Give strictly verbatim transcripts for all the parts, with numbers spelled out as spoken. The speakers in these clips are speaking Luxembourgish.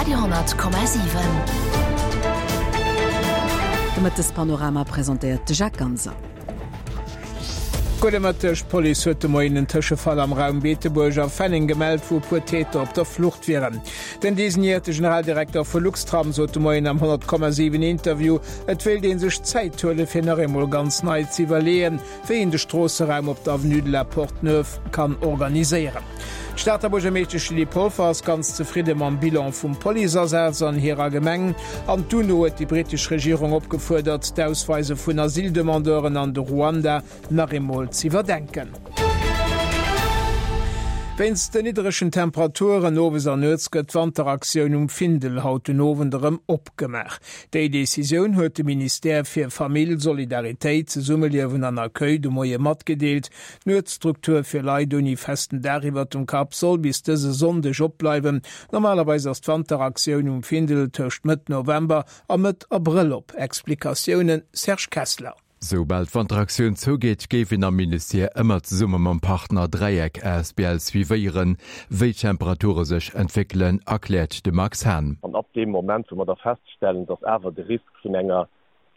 Radio honnert Komma siwen. De Mëttespanorama presentéiert de Jacques Ganser. Gudde Mëtteg, D'Police huet de Moien en Tëschefall am Raum Beetebuerg a Fenneng gemellt, wou e puer Täter op der Flucht wieren. Den designéierte Generaldirekter vu Luxtram sot de Moien am honnert Komma siwen Interview, et wéilt ee sech Zäit huele fir nach eemol ganz nei ze iwwerleeën, wéi een de Stroosseraum op der Avenue de la Porte Neuve kann organiséieren. D'Stater Buergermeeschtesch Lydie Polfer ass ganz zefridde mam Bilan vum Policeasaz an hirer Gemeng. An d'UNO huet déi brittesch Regierung opgefuerdert, d'Ausweise vun Asyldemandeuren an de Ruanda nach eemol z'iwwerdenken. Wéinst den nidderegen Temperaturen owes an nuets gëtt d'Wanteraktioun um Findel haut den Owend erëm opgemaach. Déi Decisioun huet de Ministère fir Famill, Solidaritéit, Zesummeliewen an Accueil de Moie matgedeelt. D'Nuetsstruktur fir Leit ouni festen Daach iwwert dem Kapp soll bis dëse Sonndeg opbleiwen. Normalerweis ass d'Wanteraktioun um Findel tëscht Mëtt November a Mëtt Abrëll op. Explikatiounen, Serge Kessler. Soubal d'Wanteraktioun zougeet, géif een am Ministère ëmmer zesumme mam Partner Dräieck asbl suivéieren, wéi d'Temperature sech entwéckelen, erkläert de Max Hahn. An ab deem Moment, wou mer da feststellen, dass awer de Risk vun enger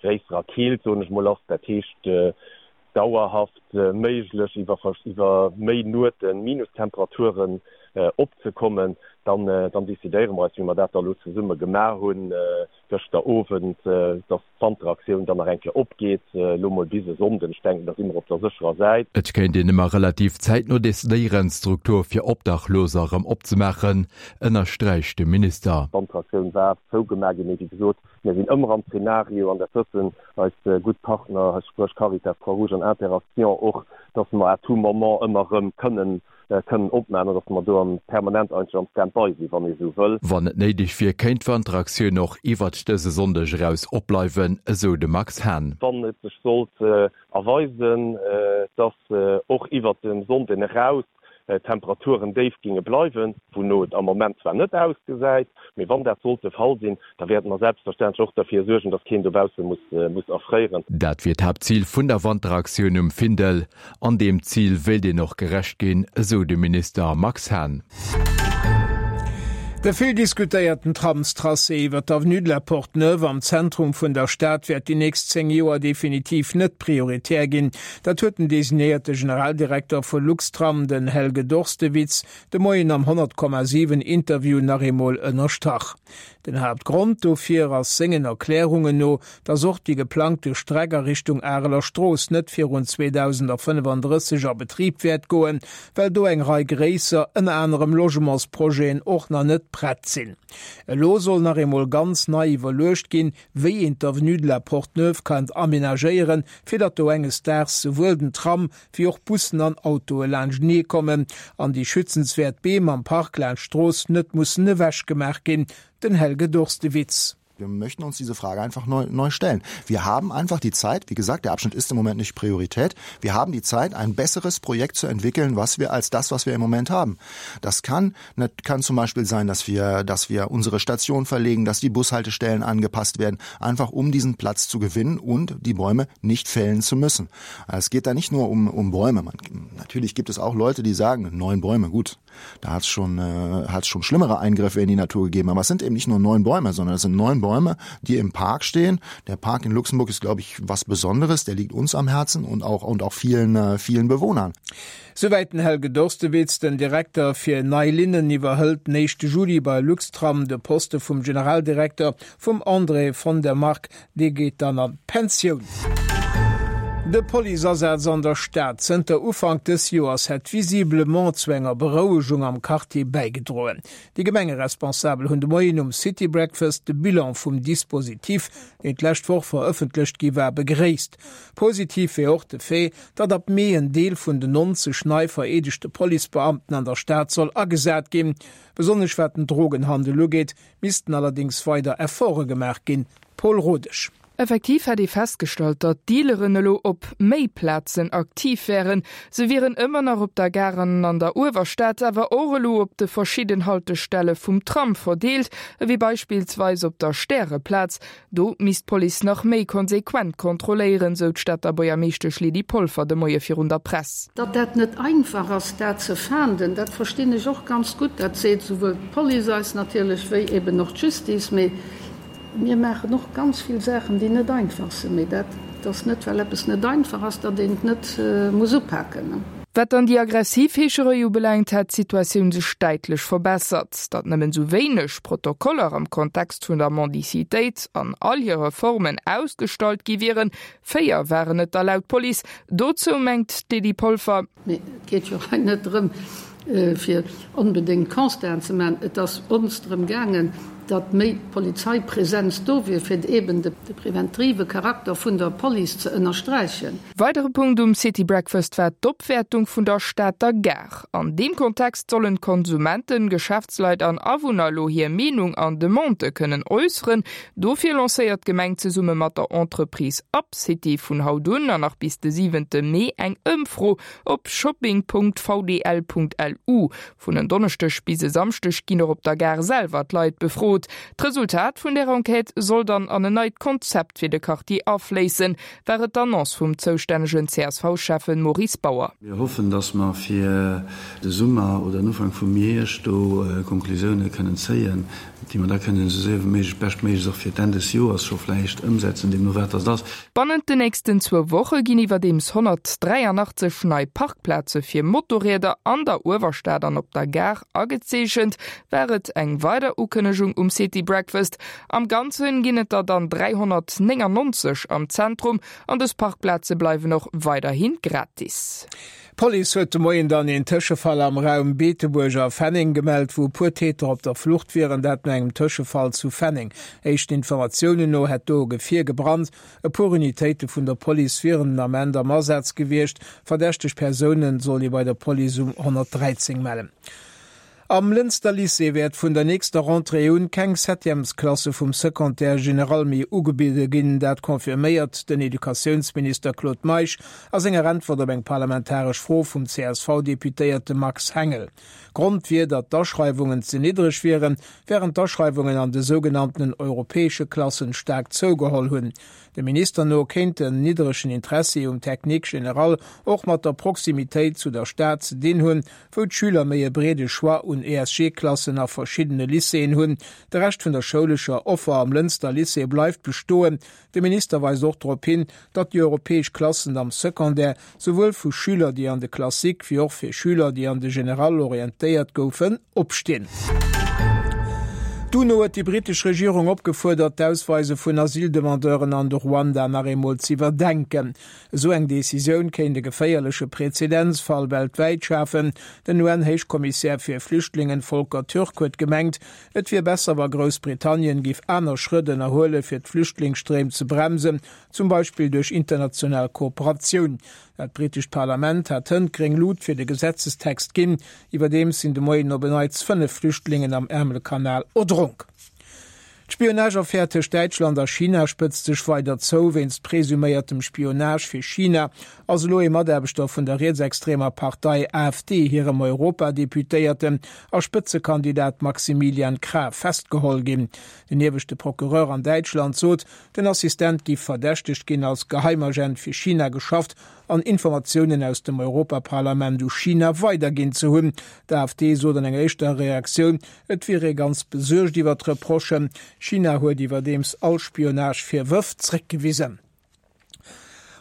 gréisserer Keelt, soen ech mol, ass, dat heescht dauerhaft méiglech iwwer iwwer méi Nuete Minustemperaturen opzekommen, dann dann decidéiere mer eis, wéi mer dat da elo zesumme gemaach hunn gëschter Owend, dass d'Wanteraktioun dann nach eng Kéier opgeet, elo mol bis e Sonnden. Ech denken, da si mer op der sécherer Säit. Et kéint een ëmmer relativ zäitno decidéieren, d'Struktur fir Obdachloser erëm opzemaachen, ënnersträicht de Minister. D'Wanteraktioun war zougemaach ginn, mee wéi gesot, mir sinn ëmmer am Zeenario, an dat wëssen eis gutt Partner, spréch Caritas, Croix-Rouge an Interaction och, dass mer à tout moment ëmmer erëm kënnen kënnen opmaachen an dass mer do am permanent eigentlech am Stand-by sinn, wann ee sou wëll. Wann et néideg wier, kéint d'Wanteraktioun och iwwert dëse Sonndeg eraus opbleiwen, esou de Max Hahn. Wann et sech sollt erweisen, dass och iwwert de Sonnden eraus d'Temperaturen déif géinge bleiwen, wouno et am Moment zwar net ausgesäit, mee wann dat sollt de Fall sinn, da wäerte mer selbstverständlech och derfir suergen, dass keen dobausse muss erfréieren. Dat wier d'Haaptzil vun der Wanteraktioun um Findel. An deem Zil wéilt een och gerecht ginn, esou de Minister Max Hahn. De vill diskutéierten Tramstracé iwwer d'Avenue de la Porte Neuve am Zentrum vun der Stad wäert déi nächst zéng Joer definitiv net prioritär ginn. Dat huet den designéierte Generaldirekter vu Luxtram, den Helge Dorstewitz, de Moien am honnert Komma siwen Interview nach eemol ënnerstrach. Den Haaptgrond dofir ass sengen Erklärungen no, datt och déi geplangte Streck a Richtung Areler Strooss net virun zweedausendafënnefandrësseg a Betrib wäert goen, well do eng Rei gréisser, ënner anerem Logementsprojeten, och nach net prett sinn. Elo soll nach eemol ganz nei iwwerluecht ginn, wéi een d'Avenue de la Porte Neuve kann amenagéieren, fir datt do enges Daags souwuel den Tram wéi och Bussen an Autoe laanschtenee kommen an déi schützenswäert Beem am Park laanscht d'Strooss net mussen ewechgemaach ginn. Den Helge Dorstewitz. Wir möchten uns diese Frage einfach neu, neu stellen. Wir haben einfach die Zeit, wie gesagt, der Abschnitt ist im Moment nicht Priorität. Wir haben die Zeit, ein besseres Projekt zu entwickeln, was wir als das, was wir im Moment haben. Das kann, kann zum Beispiel sein, dass wir, dass wir unsere Station verlegen, dass die Bushaltestellen angepasst werden, einfach um diesen Platz zu gewinnen und die Bäume nicht fällen zu müssen. Es geht da nicht nur um, um Bäume. Man, natürlich gibt es auch Leute, die sagen, neun Bäume, gut, da hat's schon, äh, hat's schon schlimmere Eingriffe in die Natur gegeben. Aber es sind eben nicht nur neun Bäume, sondern es sind neun Bäume, die im Park stehen. Der Park in Luxemburg ist, glaube ich, was Besonderes. Der liegt uns am Herzen und auch, und auch vielen, äh, vielen Bewohnern. Souwäit den Helge Dorstewitz. Den Direkter fir nei Linnen iwwerhëlt den éischte Juli bei Luxtram de Poste vum Generaldirekter vum André von der Marck. Dee geet dann an d'Pensioun. De Policeasaz an der Stad zënter Ufank dës Joers hätt visiblement zu enger Berouegung am Quartier bäigedroen. Déi Gemengeresponsabel hunn de Moien um City Breakfast de Bilan vum Dispositif, deen d'lescht Woch verëffentlecht gi war, begréisst. Positiv wier och de Fait, datt ab Mee en Deel vun den neunzeg nei vereedegte Policebeamten an der Stad soll agesat ginn. Besonnesch wat den Drogenhandel ugeet, missten allerdéngs weider Efforte gemaach ginn. Paul Rodesch. Effektiv hätt ee festgestallt, datt d'Dealeren elo op méi Plazen aktiv wären. Se wieren ëmmer nach op der Gare an an der Uewerstad, awer och elo op de verschidden Haltestelle vum Tram verdeelt, ewéi beispillsweis op der Stäreplaz. Do misst d'Police nach méi konsequent kontrolléieren, sou d'Stater Buergermeeschtesch Lydie Polfer de Moie virun der Press. Datt dat net einfach ass, dat ze fahnden, dat verstinn ech och ganz gutt. Dat seet souwuel d'Police eis natierlech wéi eben och d'Justice. Mee Mir maachen och ganz vill Saachen, déi net einfach sinn. Mee dat ass net, well eppes net einfach ass, datt een et net muss upaken. Wat dann déi aggressiv Heescherei ubelaangt, hätt d'Situatioun sech däitlech verbessert. Datt nëmmen esou wéineg Protokoller am Kontext vun der Mendicitéit an all hire Formen ausgestallt gi wieren, véier waren et der laut Police. Dozou mengt d'Lydie Polfer. Mee et geet jo hei net drëm, fir onbedéngt Constaten ze maachen. Et ass ons drëm gaangen, datt méi Polizeipresenz do wier, fir eeben de preventive Charakter vun der Police ze ënnersträichen. Weidere Punkt um City Breakfast war d'Opwäertung vun der Stater Gare. An deem Kontext sollen d'Konsumenten, Geschäftsleit an Awunner elo hir Meenung an Demandë kënnen äusseren. Dofir lancéiert d'Gemeng zesumme mat der Entreprise UpCity vun haut un an nach bis de siwente Mee eng Ëmfro op shopping Punkt vdl Punkt lu. Vun en Donneschdeg bis e Samschdeg ginn och op der Gare selwer d'Leit befrot. D'Resultat vun där Enquête soll dann an en neit Konzept fir de Quartier afléissen, war et d'Annonce vum zoustännegen C S V-Schäffen Maurice Bauer. Mir hoffen, dass mer fir de Summer oder den Ufank vum Hierscht do Konklusioune kënnen zéien, déi mer da kënnen esou séier wéi méiglech, beschtméiglechst och fir d'Enn des Joers scho vläicht ëmsetzen, deemno wat dass ass. Bannent den nächsten zwou Woche ginn iwwerdeems honnertdräianachtzeg nei Parkplaze fir Motorrieder an der Uewerstad an op der Gare agezeechent, war et eng weider Ukënnegung um City Breakfast. Am Ganzen ginn et der dann dräihonnertnéngannonzeg am Zentrum an dës Parkplaze bleiwen och weiderhi gratis. D'Police huet de Moien dann een Tëschefall am Raum Beetebuerg a Fenneng gemellt, wou e puer Täter op der Flucht wieren, dat no engem Tëschefall zu Fenneng. Éischten Informatiounen no hätt do e Gefier gebrannt. E puer Unitéite vun der Police wieren den Ament am Asaz gewiescht. Verdächteg Persoune soll ee bei der Police um honnertdräizéng mellen. Am Lënster Lycée wäert vun der nächster Rentrée un keng Septièmesklasse vum Secondaire général méi ugebidde ginn. Dat confirméiert den Educatiounsminister Claude Meisch a senger Äntwert op eng parlamentaresch Fro vum C S V-Deputéierte Max Hengel. Grond wier, datt d'Aschreiwungen ze niddreg wieren, wärend d'Aschreiwungen an de sougenanntenen europäesche Klassen staark zougeholl hunn. Dem Minister no kéint den niddregen Interessi um Technique général och mat der Proximitéit zu der Stad ze dinn hunn, wou d'Schüler méi e breede Choix un E S G-Klassen a verschiddene Lycéeën hunn. De Rescht vun der schoulescher Offer am Lënster Lycée bleift bestoen. De Minister weist och drop hin, datt déi europäesch Klassen am Secondaire souwuel vu Schüler, déi an de Classique, wéi och fir Schüler, déi an de Général orientéiert goufen, opstinn. D'UNO huet déi brittesch Regierung opgefuerdert, d'Ausweise vun Asyldemandeuren an de Ruanda nach eemol z'iwwerdenken. Esou eng Decisioun kéint e geféierleche Präzedenzfall weltwäit schafen. Den U N-Héichkommissär fir Flüchtlingen Volker Türk huet gemengt, et wier besser, wa Groussbritannien géif aner Schrëtt ënnerhuele fir d'Flüchtlingsstréim ze bremsen, zum Beispill duerch international Kooperatioun. Dat brittescht Parlament hat hënt gréng Luucht fir de Gesetzestext ginn. Iwwerdeems sinn de Moien op en Neits fënnef Flüchtlingen am Ärmelkanal erdronk. D'Spionage-Affär tëscht Däitschland a China spëtzt sech weider zou. Wéinst presuméiertem Spionage fir China ass elo ee Mataarbechter vun der rietsextremer Partei A F D hirem Europadeputéierten a Spëtzekandidat Maximilian Krah festgeholl ginn. Den ieweschte Procureur an Däitschland sot, den Assistent géif verdächtegt ginn, als Geheimagent fir China geschafft an Informatiounen aus dem Europaparlament u China weiderginn ze hunn. D'A F D sot an enger éischter Reaktioun, et wier ee ganz besuergt iwwer d'Reprochen. China huet iwwerdeems all Spionage-Virwërf zréckgewisen.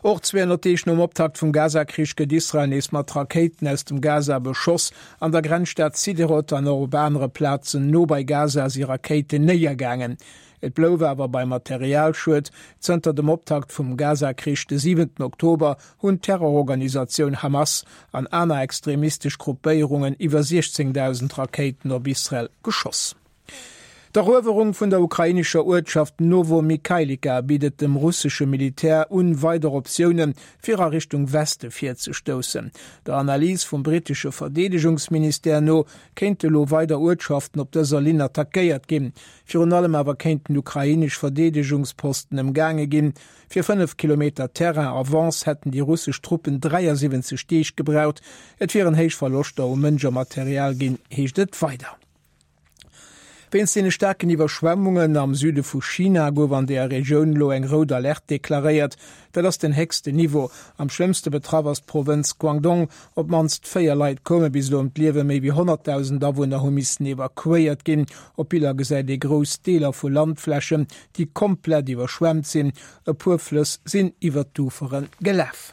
Och zweehonnert Deeg nom Optakt vum Gaza-Krich gëtt Israel nees mat Rakéiten aus dem Gaza beschoss. An der Grenzstad Siderot an och op anere Plazen no bei Gaza si Rakéiten néiergaangen. Et blouf awer beim Materialschued. Zënter dem Optakt vum Gaza-Krich de siwenten Oktober hunn d'Terrororganisatioun Hamas an aner extremistesch Gruppéierungen iwwer siechzéngdausend Rakéiten op Israel geschoss. D'Eruewerung vun der ukrainescher Uertschaft Novomykhailivka bitt et dem russesche Militär un, weider Optioune fir a Richtung Weste virzestoussen. Der Analys vum brittesche Verdeedegungsministère no kéinte elo weider Uertschaften op dëser Linn attackéiert ginn. Virun allem awer kéinten ukrainesch Verdeedegungsposten ëmgaange ginn. Fir fënnef Kilometer Terrain Avance hätten déi russesch Truppen dräiasiwwenzeg Deeg gebraucht. Et wieren héich Verloschter u Mënsch a Material ginn, heescht et weider. Wéinst deene staarken Iwwerschwemmungen am Süde vu China gouf an deeër Regioun elo eng rout Alerte deklaréiert. Dat ass den héchsten Niveau. Am schlëmmste betraff ass d'Provënz Guangdong. Op d'mannst véier Leit koume bis elo ëm d'Liewen, méi wéi honnertdausend Awunner hu missen evakuéiert ginn. Op Biller gesäit ee grouss Deeler vu Landflächen, déi komplett iwwerschwemmt sinn. E puer Flëss sinn iwwer d'Ufere gelaf.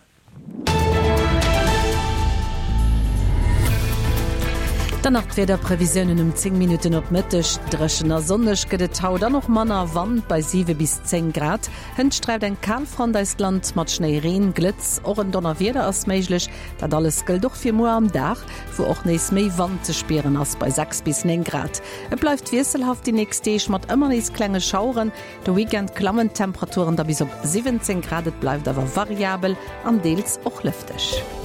Dann nach d'Wiederprevisiounen um zéng Minutten op Mëtteg, Dréchen a sonneg gëtt et haut an och manner Wand bei siwe bis zéng Grad. Hënt sträift eng Kalfront eist Land mat Schnéi, Reen, Glëtz, och en Donnerwieder ass méiglech. Dat alles gëllt och fir muer am Dag, wou och nees méi Wand ze spieren ass bei sechs bis néng Grad. Et bleift wiesselhaft déi nächst Deeg mat ëmmer nees klenge Schaueren. De Weekend klammen d'Temperaturen da bis op siwwenzéng Grad, et bleift awer variabel an deels och lëfteg.